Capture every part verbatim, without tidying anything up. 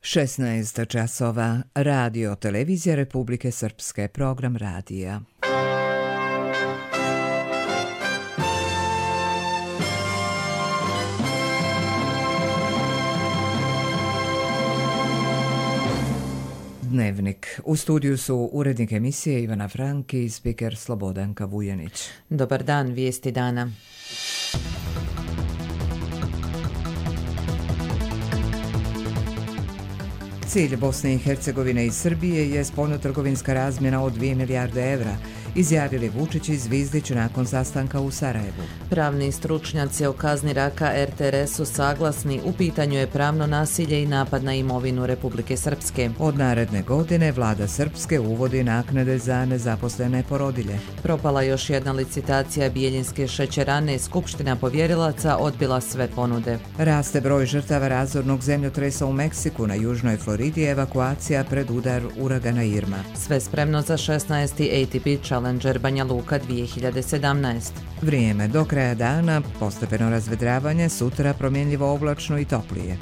šesnaest časova. Radio Televizija Republike Srpske, program radija. Dnevnik. U studiju su urednik emisije Ivana Franki i spiker Slobodanka Vujanić. Dobar dan, vijesti dana. Cilj Bosne i Hercegovine i Srbije je spoljnotrgovinska razmjena od dvije milijarde evra, izjavili Vučić i Zvizdić nakon sastanka u Sarajevu. Pravni stručnjaci o kazni raka er te er es su saglasni, u pitanju je pravno nasilje i napad na imovinu Republike Srpske. Od naredne godine vlada Srpske uvodi naknade za nezaposlene porodilje. Propala još jedna licitacija Bijeljinske šećerane, Skupština povjerilaca odbila sve ponude. Raste broj žrtava razornog zemljotresa u Meksiku, na južnoj Floridi evakuacija pred udar uragana Irma. Sve spremno za šesnaesti A T P Challenger Banja Luka dvije hiljade sedamnaest. Vrijeme do kraja dana, postepeno razvedravanje, sutra promjenljivo oblačno i toplije.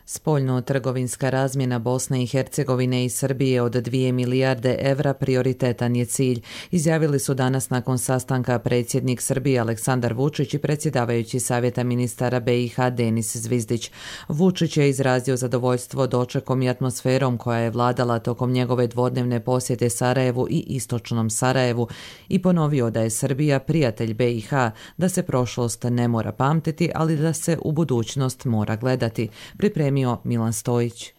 Spoljno-trgovinska razmjena Bosne i Hercegovine i Srbije od dvije milijarde evra prioritetan je cilj, izjavili su danas nakon sastanka predsjednik Srbije Aleksandar Vučić i predsjedavajući Savjeta ministara be i ha Denis Zvizdić. Vučić je izrazio zadovoljstvo dočekom i atmosferom koja je vladala tokom njegove dvodnevne posjete Sarajevu i istočnom Sarajevu i ponovio da je Srbija prijatelj be i ha, da se prošlost ne mora pamtiti, ali da se u budućnost mora gledati. Pripremio Milan Stojić.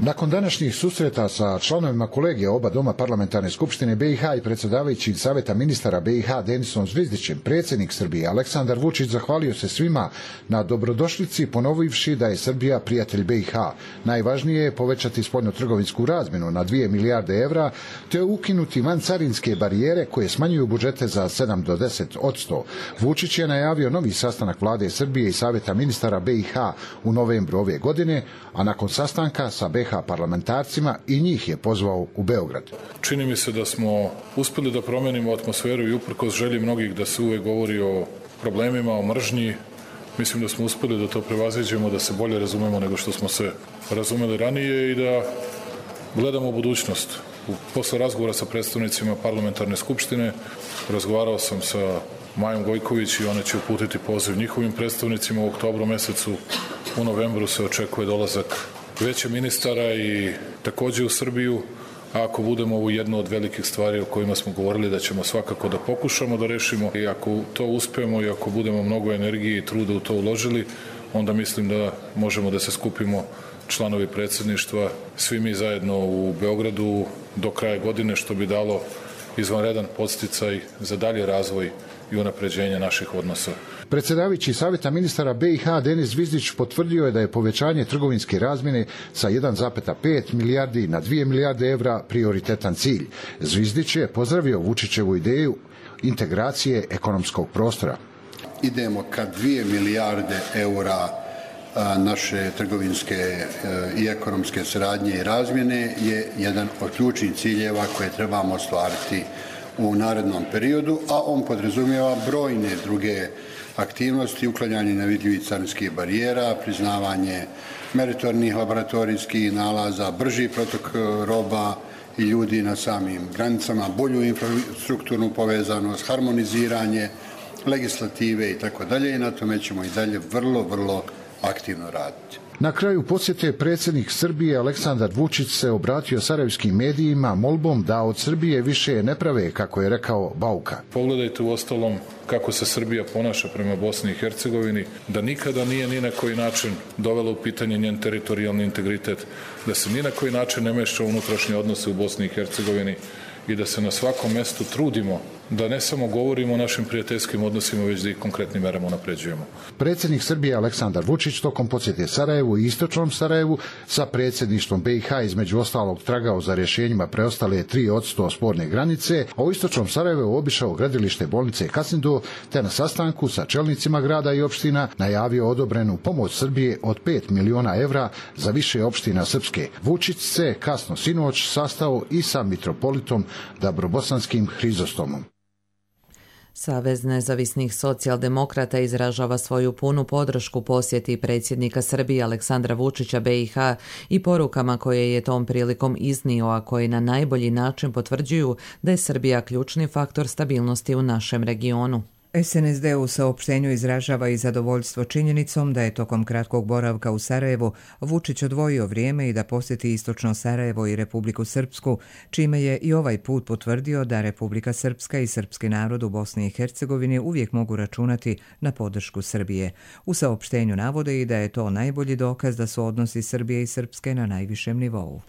Nakon današnjih susreta sa članovima kolegija oba doma parlamentarne skupštine be i ha i predsjedavajući Savjeta ministara be i ha Denisom Zvizdićem, predsjednik Srbije Aleksandar Vučić zahvalio se svima na dobrodošlici, ponovivši da je Srbija prijatelj be i ha. Najvažnije je povećati spoljnotrgovinsku razmjenu na dvije milijarde evra, te ukinuti vancarinske barijere koje smanjuju budžete za sedam do deset posto. Vučić je najavio novi sastanak vlade Srbije i Savjeta ministara be i ha u novembru ove godine, a nakon sastanka sa be i ha parlamentarcima i njih je pozvao u Beograd. Čini mi se da smo uspjeli da promenimo atmosferu i uprkos želji mnogih da se uvek govori o problemima, o mržnji. Mislim da smo uspjeli da to prevaziđemo, da se bolje razumemo nego što smo se razumeli ranije i da gledamo u budućnost. Posle razgovora sa predstavnicima parlamentarne skupštine razgovarao sam sa Majom Gojković i ona će uputiti poziv njihovim predstavnicima u oktobru mesecu. U novembru se očekuje dolazak veće ministara i također u Srbiju, a ako budemo ovu jednu od velikih stvari o kojima smo govorili da ćemo svakako da pokušamo da rešimo i ako to uspemo i ako budemo mnogo energije i truda u to uložili, onda mislim da možemo da se skupimo članovi predsjedništva, svi mi zajedno u Beogradu do kraja godine, što bi dalo izvanredan podsticaj za dalji razvoj i unapređenje naših odnosa. Predsjedavajući Savjeta ministara be i ha Denis Zvizdić potvrdio je da je povećanje trgovinske razmjene sa jedan zarez pet milijardi na dvije milijarde evra prioritetan cilj. Zvizdić je pozdravio Vučićevu ideju integracije ekonomskog prostora. Idemo ka dvije milijarde eura naše trgovinske i ekonomske saradnje i razmjene je jedan od ključnih ciljeva koje trebamo ostvariti u narednom periodu, a on podrazumijeva brojne druge aktivnosti, uklanjanje nevidljivih carinskih barijera, priznavanje meritornih laboratorijskih nalaza, brži protok roba i ljudi na samim granicama, bolju infrastrukturnu povezanost, harmoniziranje legislative i tako dalje, i na tome ćemo i dalje vrlo, vrlo aktivno raditi. Na kraju posjete predsjednik Srbije Aleksandar Vučić se obratio sarajevskim medijima molbom da od Srbije više ne prave, kako je rekao, bauka. Pogledajte u ostalom kako se Srbija ponaša prema Bosni i Hercegovini, da nikada nije ni na koji način dovela u pitanje njen teritorijalni integritet, da se ni na koji način ne meša u unutrašnje odnose u Bosni i Hercegovini i da se na svakom mjestu trudimo da ne samo govorimo o našim prijateljskim odnosima, već da ih konkretnim merama unapređujemo. Predsjednik Srbije Aleksandar Vučić tokom posjete Sarajevu i istočnom Sarajevu sa predsjedništvom be i ha između ostalog tragao za rješenjima preostale tri posto sporne granice, a u istočnom Sarajevu obišao gradilište bolnice Kasindu, te na sastanku sa čelnicima grada i opština najavio odobrenu pomoć Srbije od pet miliona evra za više opština Srpske. Vučić se kasno sinoć sastao i sa mitropolitom Dabrobosanskim Hrizostomom. Savez nezavisnih socijaldemokrata izražava svoju punu podršku posjeti predsjednika Srbije Aleksandra Vučića B i H i porukama koje je tom prilikom iznio, a koji na najbolji način potvrđuju da je Srbija ključni faktor stabilnosti u našem regionu. S N S D u saopštenju izražava i zadovoljstvo činjenicom da je tokom kratkog boravka u Sarajevu Vučić odvojio vrijeme i da posjeti istočno Sarajevo i Republiku Srpsku, čime je i ovaj put potvrdio da Republika Srpska i srpski narod u Bosni i Hercegovini uvijek mogu računati na podršku Srbije. U saopštenju navode i da je to najbolji dokaz da su odnosi Srbije i Srpske na najvišem nivou.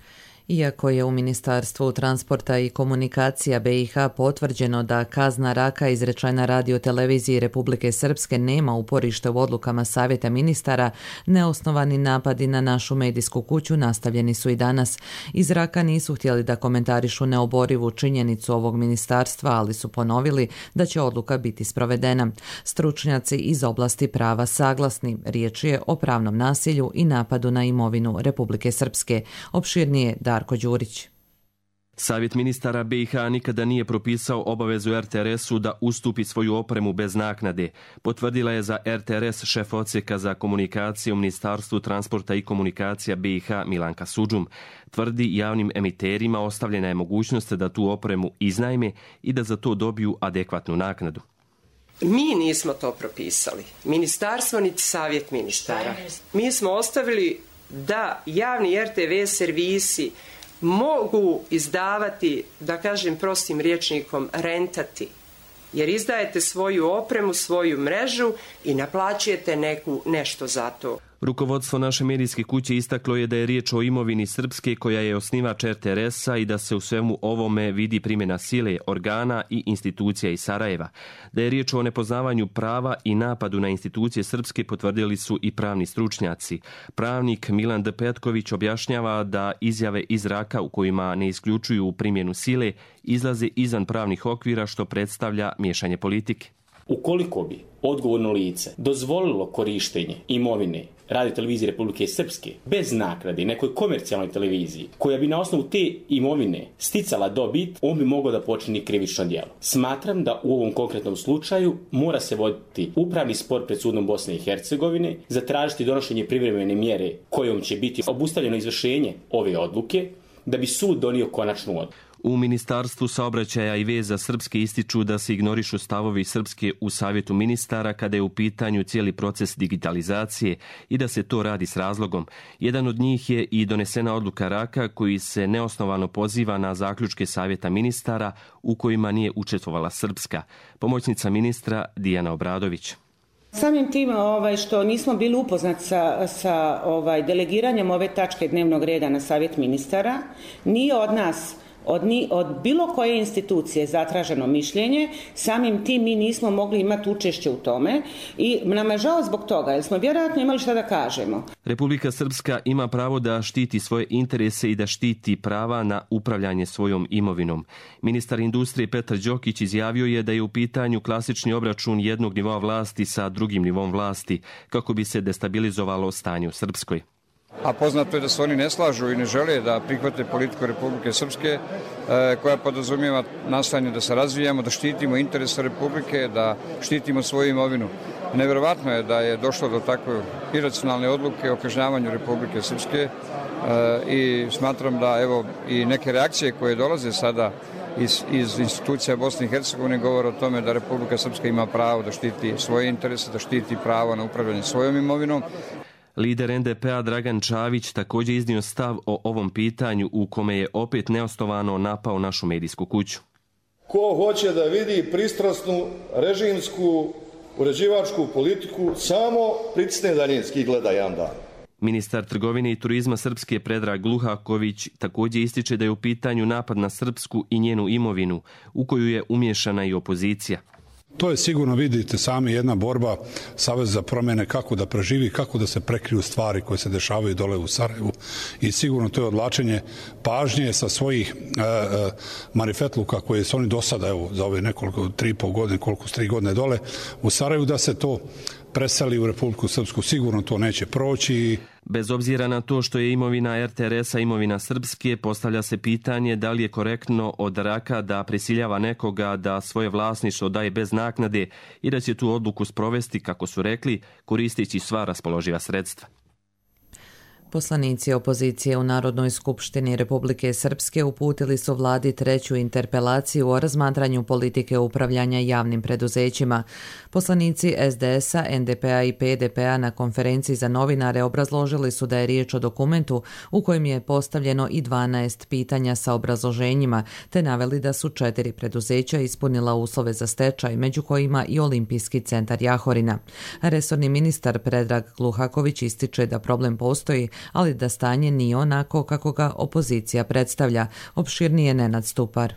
Iako je u Ministarstvu transporta i komunikacija B i H potvrđeno da kazna raka izrečena radioteleviziji Republike Srpske nema uporište u odlukama Savjeta ministara, neosnovani napadi na našu medijsku kuću nastavljeni su i danas. Iz Raka nisu htjeli da komentarišu neoborivu činjenicu ovog ministarstva, ali su ponovili da će odluka biti sprovedena. Stručnjaci iz oblasti prava saglasni. Riječ je o pravnom nasilju i napadu na imovinu Republike Srpske. Opširnije Darko Đurić. Savjet ministara B i H nikada nije propisao obavezu R T R S-u da ustupi svoju opremu bez naknade, potvrdila je za R T R S šef odsjeka za komunikacije u Ministarstvu transporta i komunikacija B i H Milanka Sudžum. Tvrdi javnim emiterima ostavljena je mogućnost da tu opremu iznajme i da za to dobiju adekvatnu naknadu. Mi nismo to propisali. Ministarstvo niti Savjet ministara. Mi smo ostavili da javni R T V servisi mogu izdavati, da kažem prostim rječnikom, rentati. Jer izdajete svoju opremu, svoju mrežu i naplaćujete neku, nešto za to. Rukovodstvo naše medijske kuće istaklo je da je riječ o imovini Srpske koja je osnivač R T R S-a i da se u svemu ovome vidi primjena sile, organa i institucija iz Sarajeva. Da je riječ o nepoznavanju prava i napadu na institucije Srpske potvrdili su i pravni stručnjaci. Pravnik Milan D. Petković objašnjava da izjave iz Raka u kojima ne isključuju primjenu sile izlaze izvan pravnih okvira što predstavlja miješanje politike. Ukoliko bi odgovorno lice dozvolilo korištenje imovine radiotelevizije Republike Srpske bez naknade nekoj komercijalnoj televiziji koja bi na osnovu te imovine sticala dobit, on bi mogao da počini krivično djelo. Smatram da u ovom konkretnom slučaju mora se voditi upravni spor pred sudom Bosne i Hercegovine, zatražiti donošenje privremene mjere kojom će biti obustavljeno izvršenje ove odluke da bi sud donio konačnu odluku. U Ministarstvu saobraćaja i veza Srpske ističu da se ignorišu stavovi Srpske u Savjetu ministara kada je u pitanju cijeli proces digitalizacije i da se to radi s razlogom. Jedan od njih je i donesena odluka Raka koji se neosnovano poziva na zaključke Savjeta ministara u kojima nije učestvovala Srpska. Pomoćnica ministra Dijana Obradović. Samim tim ovaj, što nismo bili upoznati sa, sa ovaj, delegiranjem ove tačke dnevnog reda na Savjet ministara, nije od nas Od, ni, od bilo koje institucije zatraženo mišljenje, samim tim mi nismo mogli imati učešće u tome i nam je žao zbog toga, jer smo vjerojatno imali šta da kažemo. Republika Srpska ima pravo da štiti svoje interese i da štiti prava na upravljanje svojom imovinom. Ministar industrije Petar Đokić izjavio je da je u pitanju klasični obračun jednog nivoa vlasti sa drugim nivom vlasti, kako bi se destabilizovalo stanje u Srpskoj. A poznato je da se oni ne slažu i ne žele da prihvate politiku Republike Srpske koja podrazumijeva nastojanje da se razvijamo, da štitimo interese Republike, da štitimo svoju imovinu. Nevjerovatno je da je došlo do takve iracionalne odluke o kažnjavanju Republike Srpske i smatram da evo i neke reakcije koje dolaze sada iz, iz institucija Bosne i Hercegovine govore o tome da Republika Srpska ima pravo da štiti svoje interese, da štiti pravo na upravljanje svojom imovinom. Lider N D P-a Dragan Čavić također iznio stav o ovom pitanju u kome je opet neosnovano napao našu medijsku kuću. Ko hoće da vidi pristrasnu režimsku uređivačku politiku, samo pritisne daljinski i gleda jedan dan. Ministar trgovine i turizma Srpske Predrag Luhaković također ističe da je u pitanju napad na Srpsku i njenu imovinu, u koju je umiješana i opozicija. To je sigurno, vidite sami, jedna borba Saveza za promjene kako da preživi, kako da se prekriju stvari koje se dešavaju dole u Sarajevu i sigurno to je odlačenje pažnje sa svojih e, e, marifetluka koje su oni do sada, evo, za ove nekoliko, tri i pol godine, koliko su tri godine dole u Sarajevu, da se to preseli u Republiku Srpsku. Sigurno to neće proći. Bez obzira na to što je imovina er te er es-a imovina Srpske, postavlja se pitanje da li je korektno od Raka da prisiljava nekoga da svoje vlasništvo daje bez naknade i da će tu odluku sprovesti, kako su rekli, koristeći sva raspoloživa sredstva. Poslanici opozicije u Narodnoj skupštini Republike Srpske uputili su vladi treću interpelaciju o razmatranju politike upravljanja javnim preduzećima. Poslanici es de es-a, en de pe a i pe de pe a na konferenciji za novinare obrazložili su da je riječ o dokumentu u kojem je postavljeno i dvanaest pitanja sa obrazloženjima, te naveli da su četiri preduzeća ispunila uslove za stečaj, među kojima i Olimpijski centar Jahorina. Resorni ministar Predrag Gluhaković ističe da problem postoji, ali da stanje nije onako kako ga opozicija predstavlja. Opširnije Nenad Stupar.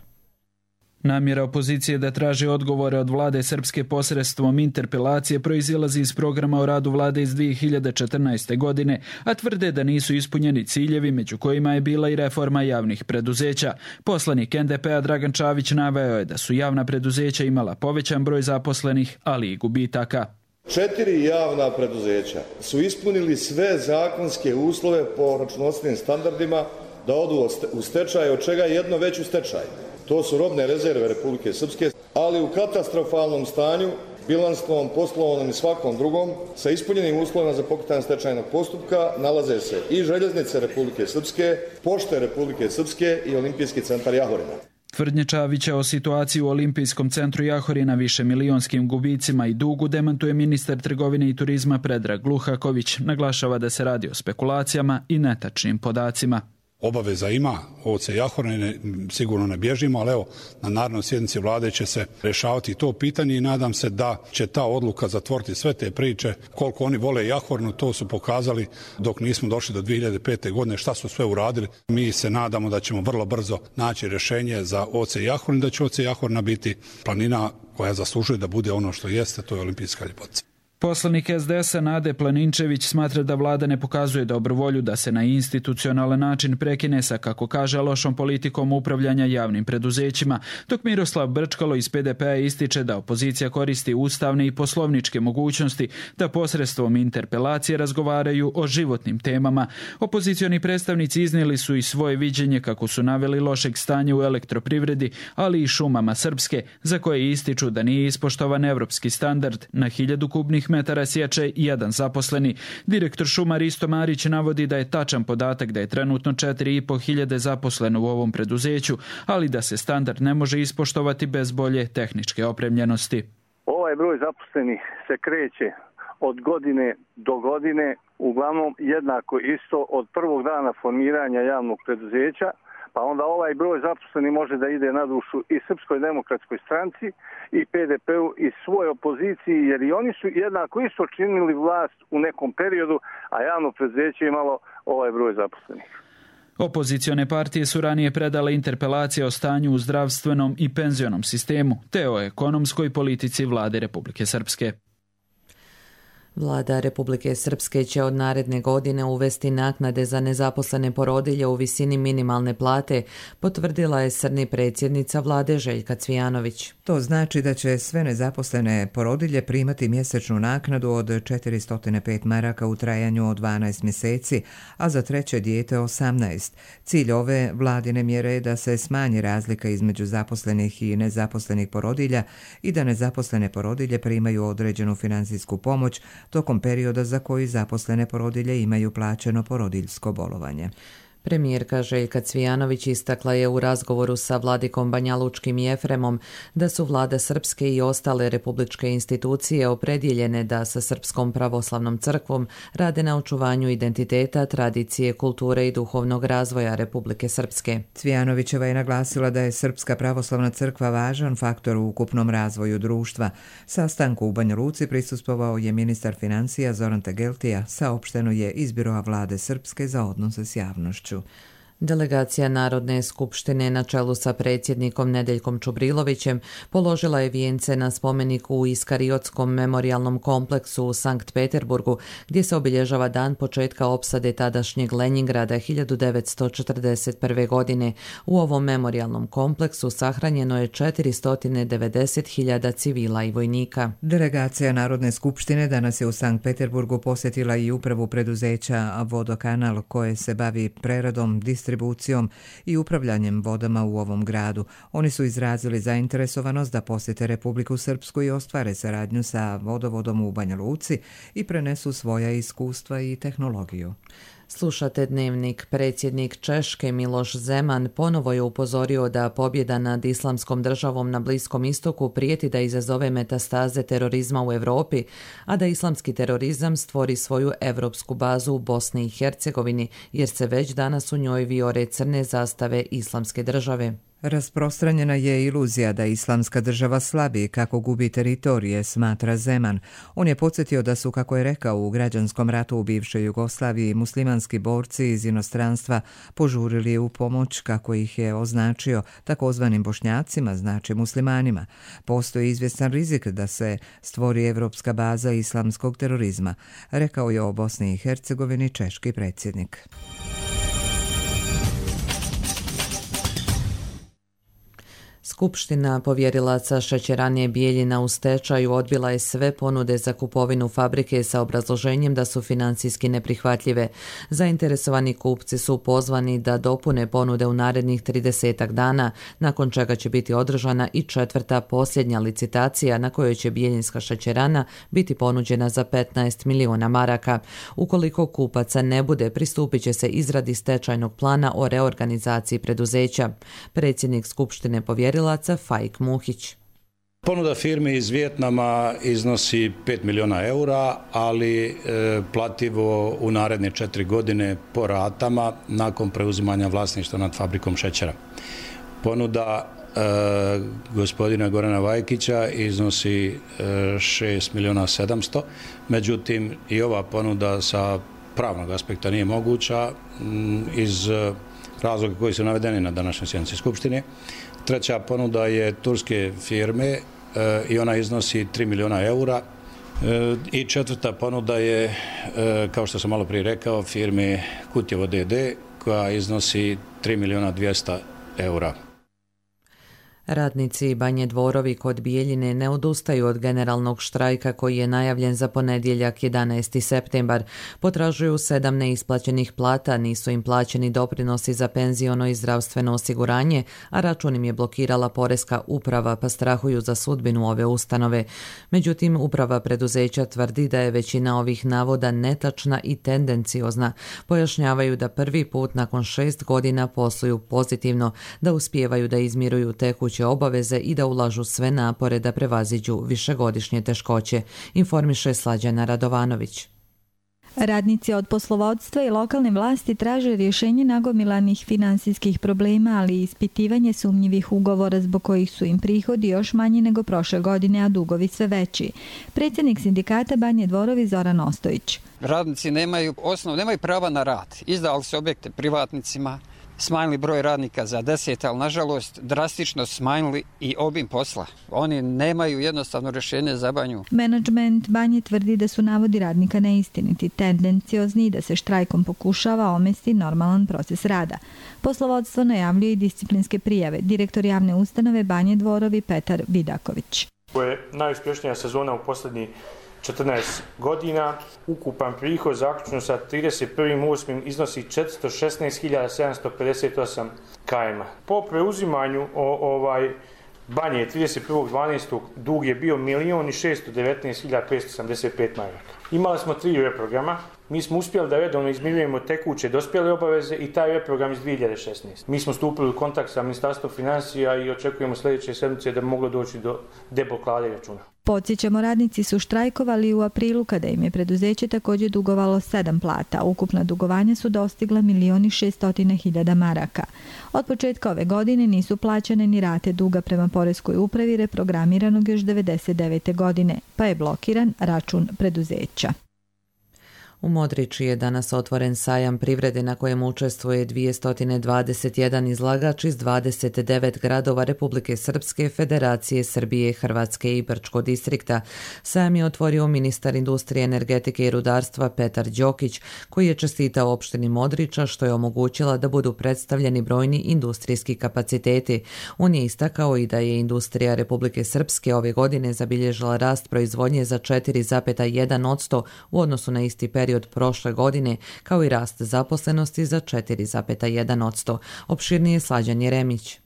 Namjera opozicije da traži odgovore od vlade Srpske posredstvom interpelacije proizilazi iz programa o radu vlade iz dvije hiljade četrnaeste. godine, a tvrde da nisu ispunjeni ciljevi, među kojima je bila i reforma javnih preduzeća. Poslanik en de pe a Dragan Čavić naveo je da su javna preduzeća imala povećan broj zaposlenih, ali i gubitaka. Četiri javna preduzeća su ispunili sve zakonske uslove po računovodstvenim standardima da odu u stečaj, od čega je jedno već u stečaju. To su robne rezerve Republike Srpske, ali u katastrofalnom stanju, bilansnom, poslovnom i svakom drugom, sa ispunjenim uslovima za pokretanje stečajnog postupka nalaze se i Željeznice Republike Srpske, Pošte Republike Srpske i Olimpijski centar Jahorina. Tvrdnje Čavića o situaciji u Olimpijskom centru Jahorina, više milionskim gubicima i dugu demantuje ministar trgovine i turizma Predrag Gluhaković. Naglašava da se radi o spekulacijama i netačnim podacima. Obaveza ima, O C Jahorine sigurno ne bježimo, ali evo, na narednoj sjednici vlade će se rješavati to pitanje i nadam se da će ta odluka zatvoriti sve te priče. Koliko oni vole Jahorinu, to su pokazali dok nismo došli do dvije hiljade pete. godine, šta su sve uradili. Mi se nadamo da ćemo vrlo brzo naći rješenje za O C Jahorinu, da će O C Jahorina biti planina koja zaslužuje da bude ono što jeste, to je olimpijska ljepotica. Poslanik es de es-a Nade Planinčević smatra da vlada ne pokazuje dobru volju da se na institucionalan način prekine sa, kako kaže, lošom politikom upravljanja javnim preduzećima, dok Miroslav Brčkalo iz pe de pe a ističe da opozicija koristi ustavne i poslovničke mogućnosti da posredstvom interpelacije razgovaraju o životnim temama. Opozicioni predstavnici iznijeli su i svoje viđenje, kako su naveli, lošeg stanja u elektroprivredi, ali i šumama Srpske, za koje ističu da nije ispoštovan evropski standard na hiljadu kubnih metara sječe i jedan zaposleni. Direktor šuma Risto Marić navodi da je tačan podatak da je trenutno četiri i po hiljade zaposleno u ovom preduzeću, ali da se standard ne može ispoštovati bez bolje tehničke opremljenosti. Ovaj broj zaposlenih se kreće od godine do godine, uglavnom jednako isto od prvog dana formiranja javnog preduzeća, pa onda ovaj broj zaposleni može da ide na dušu i Srpskoj demokratskoj stranci i pe de pe-u i svoj opoziciji, jer i oni su jednako isto činili vlast u nekom periodu, a javno preduzeće imalo ovaj broj zaposlenih. Opozicione partije su ranije predale interpelacije o stanju u zdravstvenom i penzionom sistemu, te o ekonomskoj politici vlade Republike Srpske. Vlada Republike Srpske će od naredne godine uvesti naknade za nezaposlene porodilje u visini minimalne plate, potvrdila je srni predsjednica vlade Željka Cvijanović. To znači da će sve nezaposlene porodilje primati mjesečnu naknadu od četiristo pet maraka u trajanju od dvanaest mjeseci, a za treće dijete osamnaest. Cilj ove vladine mjere je da se smanji razlika između zaposlenih i nezaposlenih porodilja i da nezaposlene porodilje primaju određenu financijsku pomoć tokom perioda za koji zaposlene porodilje imaju plaćeno porodiljsko bolovanje. Premijerka Željka Cvijanović istakla je u razgovoru sa vladikom Banjalučkim i Efremom da su vlada Srpske i ostale republičke institucije opredjeljene da sa Srpskom pravoslavnom crkvom rade na očuvanju identiteta, tradicije, kulture i duhovnog razvoja Republike Srpske. Cvijanovićeva je naglasila da je Srpska pravoslavna crkva važan faktor u ukupnom razvoju društva. Sastanku u Banja Luci prisustvovao je ministar financija Zoran Tegeltija, saopšteno je iz biroa vlade Srpske za odnose s javnošću. Delegacija Narodne skupštine na čelu sa predsjednikom Nedeljkom Čubrilovićem položila je vijence na spomeniku u Iskariotskom memorijalnom kompleksu u Sankt Peterburgu, gdje se obilježava dan početka opsade tadašnjeg Lenjingrada hiljadu devetsto četrdeset prve. godine. U ovom memorijalnom kompleksu sahranjeno je četiristo devedeset hiljada civila i vojnika. Delegacija Narodne skupštine danas je u Sankt Peterburgu posjetila i upravu preduzeća Vodokanal, koje se bavi preradom, distribucijom i upravljanjem vodama u ovom gradu. Oni su izrazili zainteresovanost da posjete Republiku Srpsku i ostvare saradnju sa vodovodom u Banja Luci i prenesu svoja iskustva i tehnologiju. Slušate Dnevnik. Predsjednik Češke Miloš Zeman ponovo je upozorio da pobjeda nad islamskom državom na Bliskom istoku prijeti da izazove metastaze terorizma u Europi, a da islamski terorizam stvori svoju evropsku bazu u Bosni i Hercegovini, jer se već danas u njoj vijore crne zastave islamske države. Rasprostranjena je iluzija da islamska država slabi kako gubi teritorije, smatra Zeman. On je podsjetio da su, kako je rekao, u građanskom ratu u bivšoj Jugoslaviji muslimanski borci iz inostranstva požurili u pomoć, kako ih je označio, takozvanim Bošnjacima, znači muslimanima. Postoji izvjestan rizik da se stvori evropska baza islamskog terorizma, rekao je o Bosni i Hercegovini češki predsjednik. Skupština povjerilaca šećerane Bijeljina u stečaju odbila je sve ponude za kupovinu fabrike sa obrazloženjem da su financijski neprihvatljive. Zainteresovani kupci su pozvani da dopune ponude u narednih tridesetak dana, nakon čega će biti održana i četvrta posljednja licitacija na kojoj će Bijeljinska šećerana biti ponuđena za petnaest miliona maraka. Ukoliko kupaca ne bude, pristupit će se izradi stečajnog plana o reorganizaciji preduzeća. Predsjednik Skupštine povjerilaca Fajk Muhić. Ponuda firme iz Vijetnama iznosi pet miliona eura, ali e, plativo u naredne četiri godine po ratama nakon preuzimanja vlasništva nad fabrikom šećera. Ponuda e, gospodina Gorana Vajkića iznosi e, šest miliona sedamsto, međutim i ova ponuda sa pravnog aspekta nije moguća m, iz razloga koji su navedeni na današnjoj sjednici Skupštine. Treća ponuda je turske firme e, i ona iznosi tri miliona eura. E, I četvrta ponuda je, e, kao što sam malo prije rekao, firme Kutjevo D D koja iznosi tri miliona dvjesto eura. Radnici Banje Dvorovi kod Bijeljine ne odustaju od generalnog štrajka koji je najavljen za ponedjeljak jedanaesti septembar. Potražuju sedam neisplaćenih plata, nisu im plaćeni doprinosi za penziono i zdravstveno osiguranje, a račun im je blokirala poreska uprava, pa strahuju za sudbinu ove ustanove. Međutim, uprava preduzeća tvrdi da je većina ovih navoda netačna i tendenciozna. Pojašnjavaju da prvi put nakon šest godina posluju pozitivno, da uspijevaju da izmiruju tekuće obaveze i da ulažu sve napore da prevaziđu višegodišnje teškoće, informiše Slađana Radovanović. Radnici od poslovodstva i lokalne vlasti traže rješenje nagomilanih finansijskih problema, ali i ispitivanje sumnjivih ugovora zbog kojih su im prihodi još manji nego prošle godine, a dugovi sve veći. Predsjednik sindikata Banje Dvorovi Zoran Ostojić. Radnici nemaju osnov, nemaju prava na rad. Izdali su objekte privatnicima, smanjili broj radnika za deset, ali nažalost drastično smanjili i obim posla. Oni nemaju jednostavno rješenje za Banju. Menadžment Banje tvrdi da su navodi radnika neistiniti, tendenciozni i da se štrajkom pokušava omesti normalan proces rada. Poslovodstvo najavljuje i disciplinske prijave. Direktor javne ustanove Banje Dvorovi Petar Vidaković. Ovo je najuspješnija sezona u posljednjih četrnaest godina. Ukupan prihod zaključno sa trideset prvog osmog iznosi četiristo šesnaest hiljada sedamsto pedeset osam km. Po preuzimanju o, ovaj Banje trideset prvog dvanaestog dug je bio milion šesto devetnaest hiljada petsto osamdeset pet maraka. Imali smo tri reprograma. Mi smo uspjeli da redovno izmirujemo tekuće dospjele obaveze i taj reprogram iz dvije hiljade šesnaeste. Mi smo stupili u kontakt sa Ministarstvom financija i očekujemo sljedeće sedmice da bi moglo doći do deblokade računa. Podsjećamo, radnici su štrajkovali u aprilu kada im je preduzeće također dugovalo sedam plata. Ukupna dugovanja su dostigla milion šeststo hiljada maraka. Od početka ove godine nisu plaćane ni rate duga prema poreskoj upravi reprogramiranog još devedeset devete godine, pa je blokiran račun preduzeća. U Modriči je danas otvoren sajam privrede na kojem učestvuje dvjesto dvadeset jedan izlagač iz dvadeset devet gradova Republike Srpske, Federacije Srbije, Hrvatske i Brčkog distrikta. Sajam je otvorio ministar industrije, energetike i rudarstva Petar Đokić, koji je čestitao opštini Modriča što je omogućila da budu predstavljeni brojni industrijski kapaciteti. On je istakao i da je industrija Republike Srpske ove godine zabilježila rast proizvodnje za četiri zarez jedan posto u odnosu na isti period od prošle godine, kao i rast zaposlenosti za četiri zarez jedan posto. Opširnije Slađan Jeremić.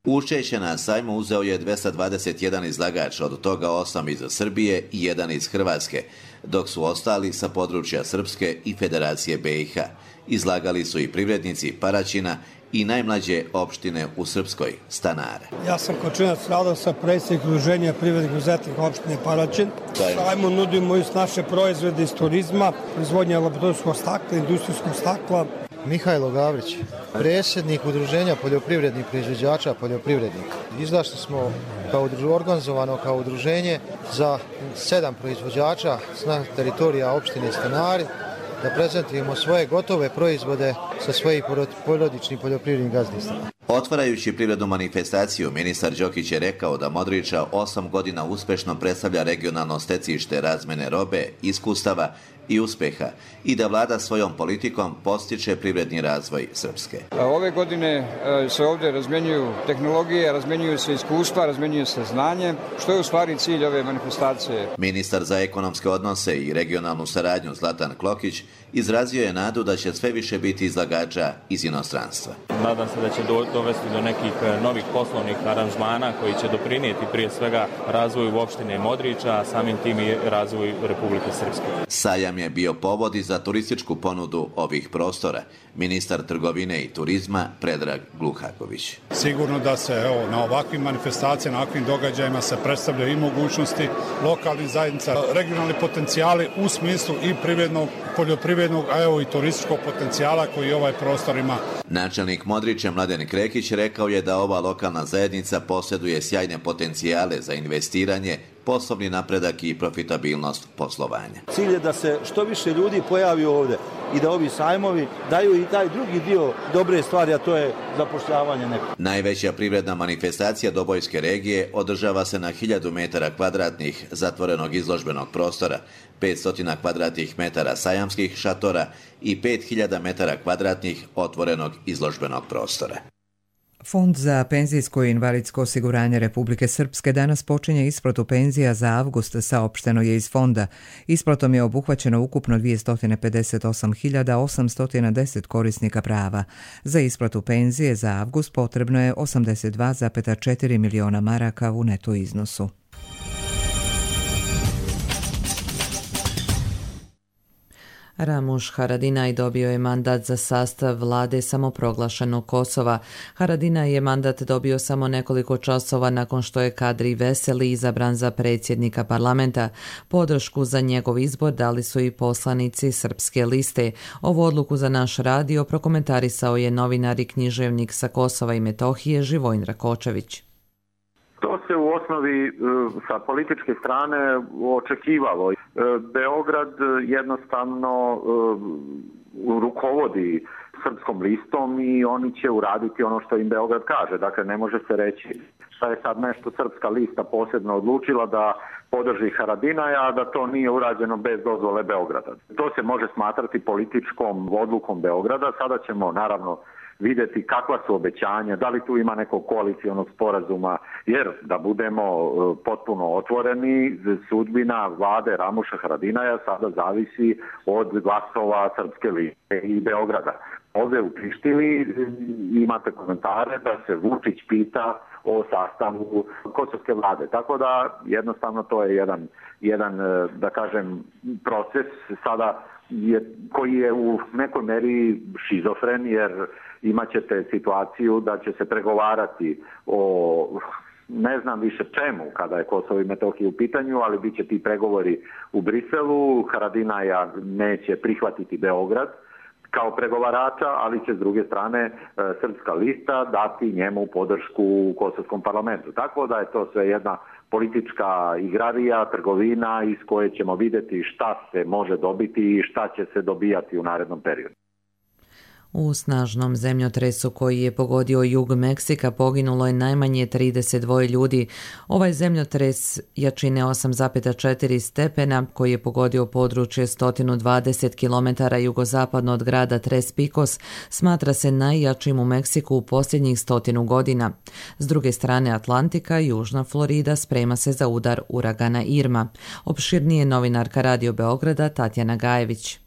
Učešće na sajmu uzeo je dvjesto dvadeset jedan izlagač, od toga osam iz Srbije i jedan iz Hrvatske, dok su ostali sa područja Srpske i Federacije B i H. Izlagali su i privrednici Paraćina i najmlađe opštine u Srpskoj, stanare. Ja sam Kočinac Radosa, predsjednik Udruženja privrednih preduzetnika opštine Paraćin. Sajmu nudimo i naše proizvode iz turizma, proizvodnja laboratorijskog stakla, industrijskog stakla. Mihajlo Gavrić, predsjednik Udruženja poljoprivrednih proizvođača poljoprivrednika. Izašli smo kao organizovano kao udruženje za sedam proizvođača na teritorija opštine Stanari, da prezentujemo svoje gotove proizvode sa svojih porodičnih poljoprivrednih gazdinstava. Otvarajući privrednu manifestaciju, ministar Đokić je rekao da Modriča osam godina uspešno predstavlja regionalno stecište razmene robe, iskustava i uspeha i da vlada svojom politikom postiče privredni razvoj Srpske. Ove godine se ovdje razmjenjuju tehnologije, razmjenjuju se iskustva, razmjenjuju se znanje, što je u stvari cilj ove manifestacije. Ministar za ekonomske odnose i regionalnu saradnju Zlatan Klokić izrazio je nadu da će sve više biti izlagača iz inostranstva. Nadam se da će dovesti do nekih novih poslovnih aranžmana koji će doprinijeti prije svega razvoju opštine Modriča, a samim tim i razvoju Republike Srpske. Sajam je bio povod i za turističku ponudu ovih prostora. Ministar trgovine i turizma Predrag Gluhaković. Sigurno da se evo, na ovakvim manifestacijama, na ovakvim događajima se predstavljaju i mogućnosti lokalnih zajednica, regionalni potencijali u smislu i privrednog, poljoprivrednog, a evo i turističkog potencijala koji ovaj prostor ima. Načelnik Modrića Mladen Krekić rekao je da ova lokalna zajednica posjeduje sjajne potencijale za investiranje, poslovni napredak i profitabilnost poslovanja. Cilj je da se što više ljudi pojavi ovdje i da ovi sajmovi daju i taj drugi dio dobre stvari, a to je zapošljavanje neko. Najveća privredna manifestacija Dobojske regije održava se na hiljadu metara kvadratnih zatvorenog izložbenog prostora, petsto kvadratnih metara sajamskih šatora i pet hiljada metara kvadratnih otvorenog izložbenog prostora. Fond za penzijsko i invalidsko osiguranje Republike Srpske danas počinje isplatu penzija za avgust, saopšteno je iz fonda. Isplatom je obuhvaćeno ukupno dvjesto pedeset osam hiljada osamsto deset korisnika prava. Za isplatu penzije za avgust potrebno je osamdeset dva zarez četiri miliona maraka u neto iznosu. Ramuš Haradinaj dobio je mandat za sastav vlade samoproglašenog Kosova. Haradinaj je mandat dobio samo nekoliko časova nakon što je Kadri Veseli izabran za predsjednika parlamenta. Podršku za njegov izbor dali su i poslanici Srpske liste. Ovu odluku za naš radio prokomentarisao je novinar i književnik sa Kosova i Metohije Živojin Rakočević. To se u osnovi sa političke strane očekivalo. Beograd jednostavno rukovodi Srpskom listom i oni će uraditi ono što im Beograd kaže. Dakle, ne može se reći šta je sad nešto Srpska lista posebno odlučila da podrži Haradinaja, a da to nije urađeno bez dozvole Beograda. To se može smatrati političkom odlukom Beograda. Sada ćemo naravno vidjeti kakva su obećanja, da li tu ima nekog koalicionog sporazuma, jer da budemo potpuno otvoreni, sudbina vlade Ramuša Haradinaja sada zavisi od glasova Srpske liste i Beograda. Ovdje u Prištini imate komentare da se Vučić pita o sastavu kosovske vlade. Tako da jednostavno to je jedan, jedan da kažem, proces sada je, koji je u nekoj meri šizofren, jer imat ćete situaciju da će se pregovarati o ne znam više čemu kada je Kosovo i Metohija u pitanju, ali bit će ti pregovori u Briselu. Haradinaja neće prihvatiti Beograd kao pregovarača, ali će s druge strane Srpska lista dati njemu podršku u kosovskom parlamentu. Tako da je to sve jedna politička igrarija, trgovina iz koje ćemo vidjeti šta se može dobiti i šta će se dobijati u narednom periodu. U snažnom zemljotresu koji je pogodio jug Meksika poginulo je najmanje trideset dva ljudi. Ovaj zemljotres jačine osam zarez četiri stepena koji je pogodio područje sto dvadeset kilometara jugozapadno od grada Tres Picos smatra se najjačim u Meksiku u posljednjih stotinu godina. S druge strane Atlantika, južna Florida sprema se za udar uragana Irma. Opširnije novinarka Radio Beograda Tatjana Gajević.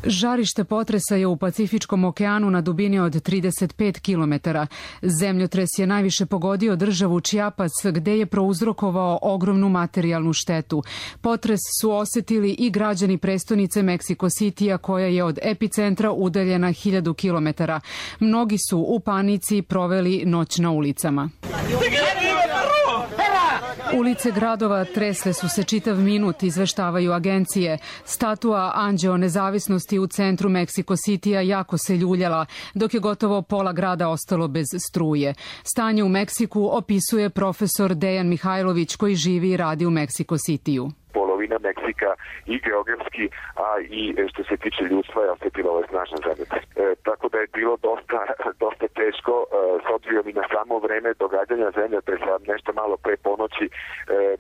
Žarište potresa je u Pacifičkom okeanu na dubini od trideset pet kilometara. Zemljotres je najviše pogodio državu Chiapas, gde je prouzrokovao ogromnu materijalnu štetu. Potres su osetili i građani prestonice Mexico Citya, koja je od epicentra udaljena hiljadu kilometara. Mnogi su u panici proveli noć na ulicama. Ulice gradova tresle su se čitav minut, izveštavaju agencije. Statua Anđeo nezavisnosti u centru Mexico Cityja jako se ljuljala, dok je gotovo pola grada ostalo bez struje. Stanje u Meksiku opisuje profesor Dejan Mihajlović koji živi i radi u Mexico Cityju. Polovina Meksika i geografski, a i što se tiče ljudstva je osjetila ovaj snažan zemljotres. E, tako da je bilo dosta, dosta teško, e, s obzirom i na samo vreme događanja zemljotresa, nešto malo pre ponoći, e,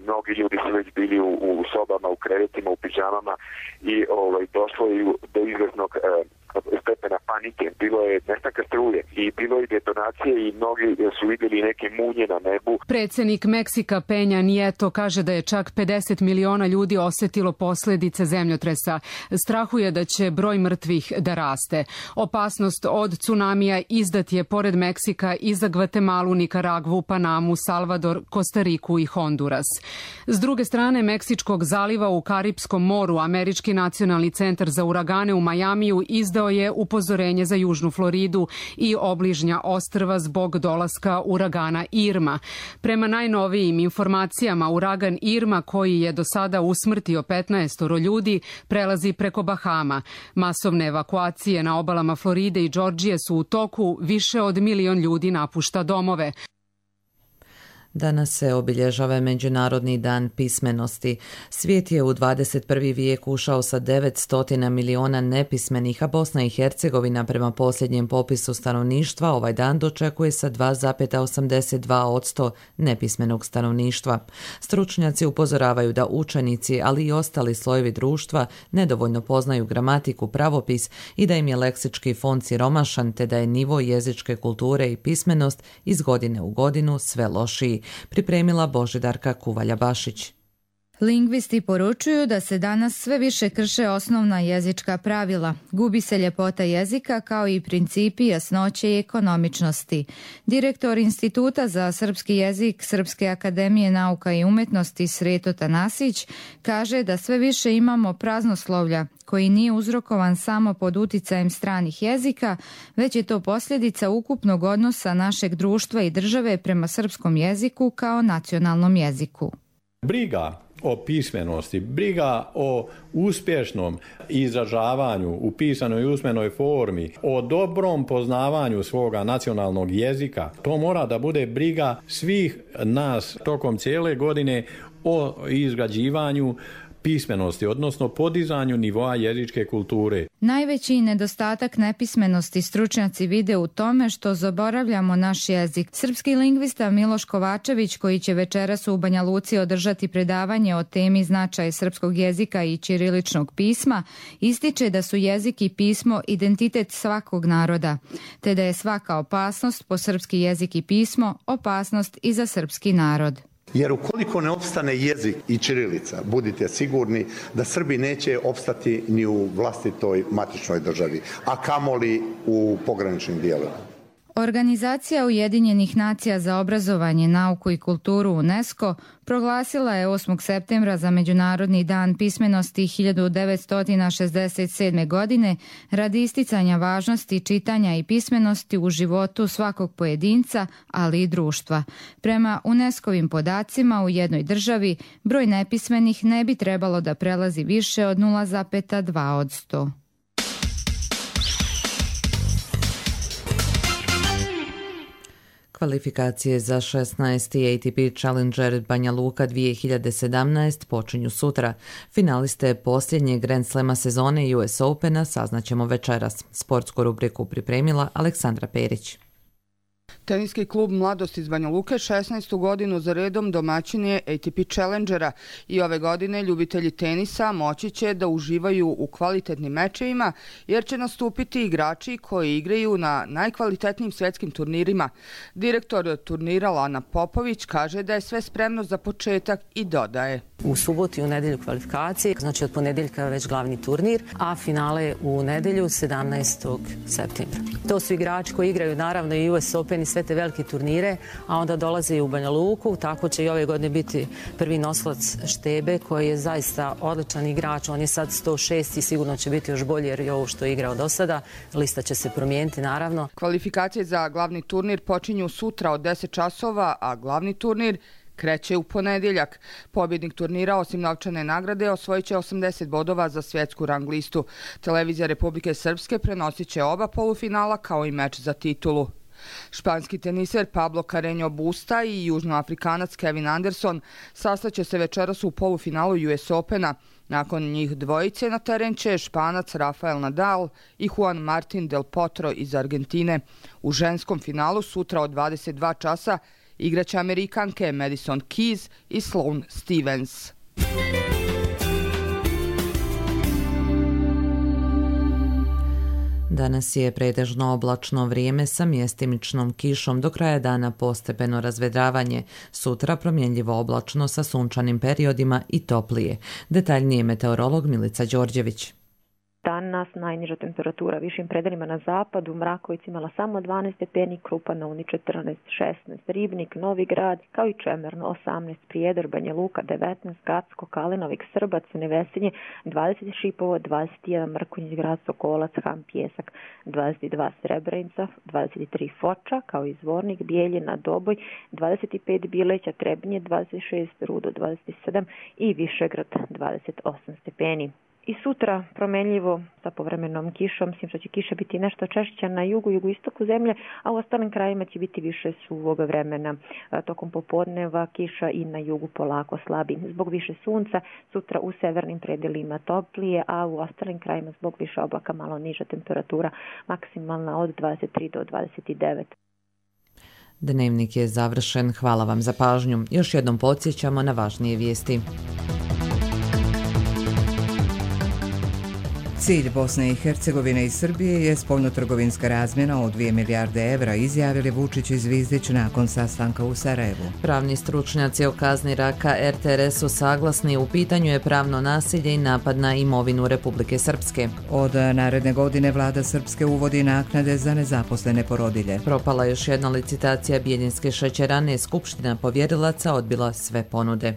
mnogi ljudi su već bili u, u sobama, u krevetima, u pidžamama i ovaj, došlo je do izvesnog e, stepena panike. Bilo je nestanka struje i bilo je detonacije i mnogi su vidjeli neke munje na nebu. Predsednik Meksika Peña Nieto kaže da je čak pedeset miliona ljudi osetilo posljedice zemljotresa. Strahuje da će broj mrtvih da raste. Opasnost od tsunamija izdat je pored Meksika i za Gvatemalu, Nikaragvu, Panamu, Salvador, Kostariku i Honduras. S druge strane Meksičkog zaliva u Karipskom moru, Američki nacionalni centar za uragane u Majamiju izdao je upozorenje za južnu Floridu i obližnja ostrva zbog dolaska uragana Irma. Prema najnovijim informacijama, uragan Irma, koji je do sada usmrtio petnaest ljudi, prelazi preko Bahama. Masovne evakuacije na obalama Floride i Džordžije su u toku, više od milion ljudi napušta domove. Danas se obilježava Međunarodni dan pismenosti. Svijet je u dvadeset prvi vijek ušao sa devetsto miliona nepismenih, a Bosna i Hercegovina prema posljednjem popisu stanovništva ovaj dan dočekuje sa dva zarez osamdeset dva posto nepismenog stanovništva. Stručnjaci upozoravaju da učenici, ali i ostali slojevi društva nedovoljno poznaju gramatiku, pravopis i da im je leksički fond siromašan, te da je nivo jezičke kulture i pismenost iz godine u godinu sve lošiji. Pripremila Božidarka Kuvalja-Bašić. Lingvisti poručuju da se danas sve više krše osnovna jezička pravila. Gubi se ljepota jezika kao i principi jasnoće i ekonomičnosti. Direktor Instituta za srpski jezik Srpske akademije nauka i umetnosti Sreto Tanasić kaže da sve više imamo praznoslovlja koji nije uzrokovan samo pod uticajem stranih jezika, već je to posljedica ukupnog odnosa našeg društva i države prema srpskom jeziku kao nacionalnom jeziku. Briga o pismenosti, briga o uspješnom izražavanju u pisanoj i usmenoj formi, o dobrom poznavanju svoga nacionalnog jezika, to mora da bude briga svih nas tokom cijele godine o izgrađivanju pismenosti, odnosno podizanju nivoa jezičke kulture. Najveći nedostatak nepismenosti stručnjaci vide u tome što zaboravljamo naš jezik. Srpski lingvista Miloš Kovačević, koji će večeras u Banja Luci održati predavanje o temi značaj srpskog jezika i ćiriličnog pisma, ističe da su jezik i pismo identitet svakog naroda, te da je svaka opasnost po srpski jezik i pismo opasnost i za srpski narod. Jer ukoliko ne opstane jezik i ćirilica, budite sigurni da Srbi neće opstati ni u vlastitoj matičnoj državi, a kamoli u pograničnim dijelovima. Organizacija Ujedinjenih nacija za obrazovanje, nauku i kulturu UNESCO proglasila je osmog septembra za Međunarodni dan pismenosti hiljadu devetsto šezdeset sedme. godine radi isticanja važnosti čitanja i pismenosti u životu svakog pojedinca, ali i društva. Prema UNESCO-vim podacima u jednoj državi broj nepismenih ne bi trebalo da prelazi više od nula zarez dva posto. Kvalifikacije za šesnaesti A T P Challenger Banja Luka dvije hiljade sedamnaest počinju sutra. Finaliste posljednjeg Grand Slema sezone U S Opena saznaćemo večeras. Sportsku rubriku pripremila Aleksandra Perić. Teniski klub Mladost iz Banja Luke šesnaestu godinu za redom domaćin je A T P Challengera i ove godine ljubitelji tenisa moći će da uživaju u kvalitetnim mečevima jer će nastupiti igrači koji igraju na najkvalitetnijim svjetskim turnirima. Direktor turnira Lana Popović kaže da je sve spremno za početak i dodaje. U subotu i u nedelju kvalifikacije, znači od ponedjeljka već glavni turnir, a finale u nedelju sedamnaestog septembra. To su igrači koji igraju naravno i U S Open i sve te velike turnire, a onda dolaze i u Banja Luku, tako će i ove godine biti prvi nosilac Štebe koji je zaista odličan igrač, on je sad sto šest i sigurno će biti još bolji jer je ovo što je igrao do sada, lista će se promijeniti naravno. Kvalifikacije za glavni turnir počinju sutra od deset časova, a glavni turnir kreće u ponedjeljak. Pobjednik turnira osim novčane nagrade osvojit će osamdeset bodova za svjetsku rang listu. Televizija Republike Srpske prenosit će oba polufinala kao i meč za titulu. Španski teniser Pablo Carreño Busta i južnoafrikanac Kevin Anderson sastaće se večeras u polufinalu U S Opena. Nakon njih dvojice na teren će Španac Rafael Nadal i Juan Martín del Potro iz Argentine. U ženskom finalu sutra od dvadeset dva časa igraće Amerikanke Madison Keys i Sloane Stevens. Danas je pretežno oblačno vrijeme sa mjestimičnom kišom, do kraja dana postepeno razvedravanje. Sutra promjenljivo oblačno sa sunčanim periodima i toplije. Detaljnije meteorolog Milica Đorđević. Danas najniža temperatura višim predelima na zapadu, Mraković imala samo dvanaest stepeni, Krupa na Uni četrnaest, šesnaest, Ribnik, Novi Grad, kao i Čemerno osamnaest, Prijedor, Banja Luka devetnaest, Gacko, Kalinovik, Srbac, Nevesinje dvadeset, Šipovo dvadeset jedan, Mrkonjić Grad, Sokolac, Ham, Pjesak dvadeset dva, Srebrenica dvadeset tri, Foča, kao i Zvornik, Bijeljina, Doboj dvadeset pet, Bileća, Trebinje dvadeset šest, Rudo dvadeset sedam i Višegrad dvadeset osam stepeni. I sutra promenljivo sa povremenom kišom, mislim što će kiša biti nešto češća na jugu, jugoistoku zemlje, a u ostalim krajima će biti više suvog vremena. Tokom popodneva kiša i na jugu polako slabi. Zbog više sunca, sutra u severnim predelima toplije, a u ostalim krajima zbog više oblaka malo niža temperatura, maksimalna od dvadeset tri do dvadeset devet. Dnevnik je završen. Hvala vam za pažnju. Još jednom podsjećamo na važnije vijesti. Cilj Bosne i Hercegovine i Srbije je spoljnotrgovinska razmjena od dvije milijarde evra, izjavili Vučić i Zvizdić nakon sastanka u Sarajevu. Pravni stručnjaci o kazni raka R T R S su saglasni, u pitanju je pravno nasilje i napad na imovinu Republike Srpske. Od naredne godine vlada Srpske uvodi naknade za nezaposlene porodilje. Propala još jedna licitacija Bijeljinske šećerane, Skupština povjerilaca odbila sve ponude.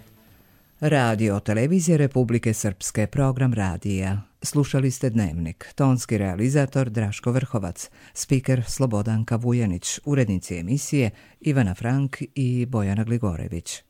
Radio televizije Republike Srpske, program radija. Slušali ste Dnevnik. Tonski realizator Draško Vrhovac, spiker Slobodanka Vujanić, urednici emisije Ivana Frank i Bojana Gligorević.